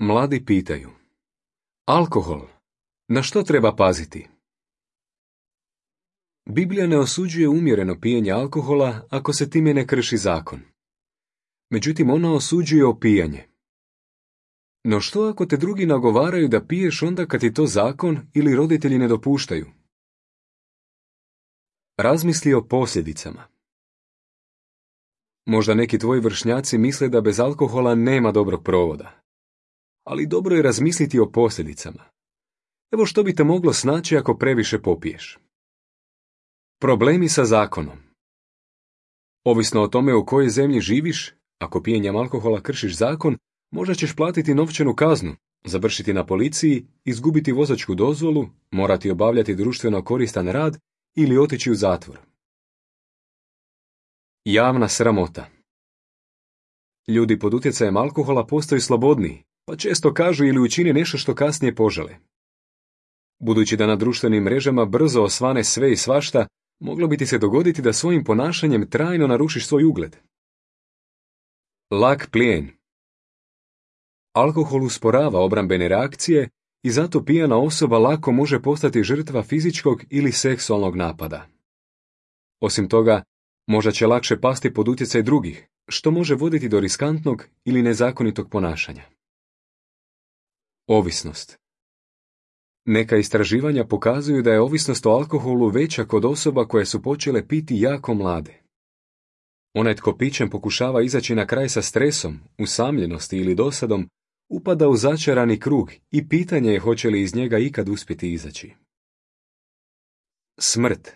Mladi pitaju: alkohol, na što treba paziti? Biblija ne osuđuje umjereno pijenje alkohola ako se time ne krši zakon. Međutim, ona osuđuje opijanje. No što ako te drugi nagovaraju da piješ onda kad ti to zakon ili roditelji ne dopuštaju? Razmisli o posljedicama. Možda neki tvoji vršnjaci misle da bez alkohola nema dobrog provoda. Ali dobro je razmisliti o posljedicama. Evo što bi te moglo snaći ako previše popiješ. Problemi sa zakonom. Ovisno o tome u kojoj zemlji živiš, ako pijenjem alkohola kršiš zakon, možda ćeš platiti novčanu kaznu, završiti na policiji, izgubiti vozačku dozvolu, morati obavljati društveno koristan rad ili otići u zatvor. Javna sramota. Ljudi pod utjecajem alkohola postaju slobodniji, pa često kažu ili učine nešto što kasnije požele. Budući da na društvenim mrežama brzo osvane sve i svašta, moglo bi ti se dogoditi da svojim ponašanjem trajno narušiš svoj ugled. Lak plijen. Alkohol usporava obrambene reakcije i zato pijana osoba lako može postati žrtva fizičkog ili seksualnog napada. Osim toga, možda će lakše pasti pod utjecaj drugih, što može voditi do riskantnog ili nezakonitog ponašanja. Ovisnost. Neka istraživanja pokazuju da je ovisnost o alkoholu veća kod osoba koje su počele piti jako mlade. Onaj tko pićem pokušava izaći na kraj sa stresom, usamljenosti ili dosadom, upada u začarani krug i pitanje je hoće li iz njega ikad uspjeti izaći. Smrt.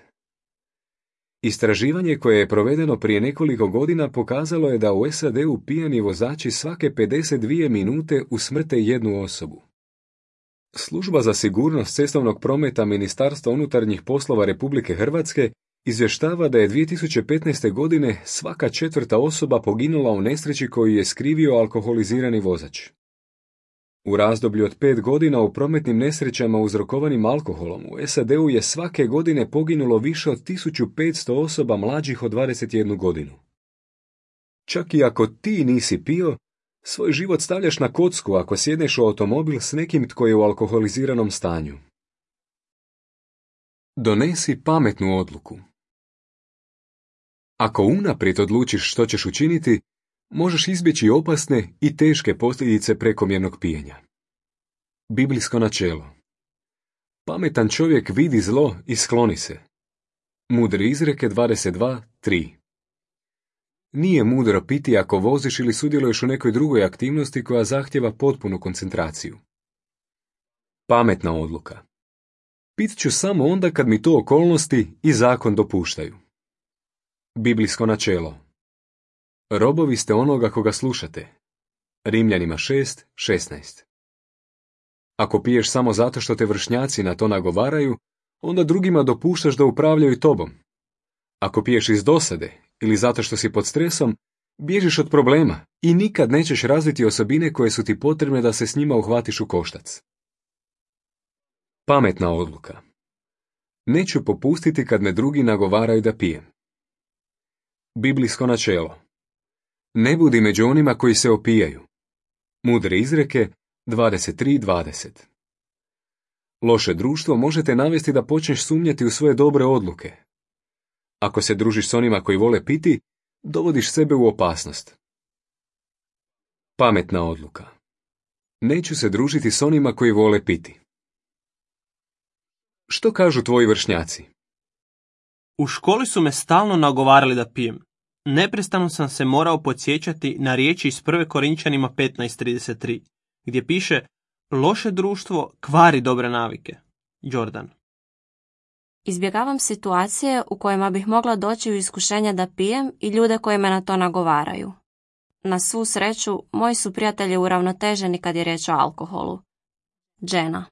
Istraživanje koje je provedeno prije nekoliko godina pokazalo je da u SAD-u pijani vozači svake 52 minute usmrte jednu osobu. Služba za sigurnost cestovnog prometa Ministarstva unutarnjih poslova Republike Hrvatske izvještava da je 2015. godine svaka 4. osoba poginula u nesreći koju je skrivio alkoholizirani vozač. U razdoblju od 5 godina u prometnim nesrećama uzrokovanim alkoholom u SAD-u je svake godine poginulo više od 1500 osoba mlađih od 21 godinu. Čak i ako ti nisi pio, svoj život stavljaš na kocku ako sjedneš u automobil s nekim tko je u alkoholiziranom stanju. Donesi pametnu odluku. Ako unaprijed odlučiš što ćeš učiniti, možeš izbjeći opasne i teške posljedice prekomjernog pijenja. Biblijsko načelo. Pametan čovjek vidi zlo i skloni se. Mudre izreke 22:3. Nije mudro piti ako voziš ili sudjeluješ u nekoj drugoj aktivnosti koja zahtjeva potpunu koncentraciju. Pametna odluka. Pit ću samo onda kad mi to okolnosti i zakon dopuštaju. Biblijsko načelo. Robovi ste onoga koga slušate. Rimljanima 6:16. Ako piješ samo zato što te vršnjaci na to nagovaraju, onda drugima dopuštaš da upravljaju tobom. Ako piješ iz dosade ili zato što si pod stresom, bježiš od problema i nikad nećeš razviti osobine koje su ti potrebne da se s njima uhvatiš u koštac. Pametna odluka. Neću popustiti kad me drugi nagovaraju da pijem. Biblijsko načelo. Ne budi među onima koji se opijaju. Mudre izreke 23:20. Loše društvo može te navesti da počneš sumnjati u svoje dobre odluke. Ako se družiš s onima koji vole piti, dovodiš sebe u opasnost. Pametna odluka. Neću se družiti s onima koji vole piti. Što kažu tvoji vršnjaci? U školi su me stalno nagovarali da pijem. Neprestano sam se morao podsjećati na riječi iz 1. Korinčanima 15:33, gdje piše: loše društvo kvari dobre navike. Jordan. Izbjegavam situacije u kojima bih mogla doći u iskušenje da pijem i ljude koji me na to nagovaraju. Na svu sreću, moji su prijatelji uravnoteženi kad je riječ o alkoholu. Jenna.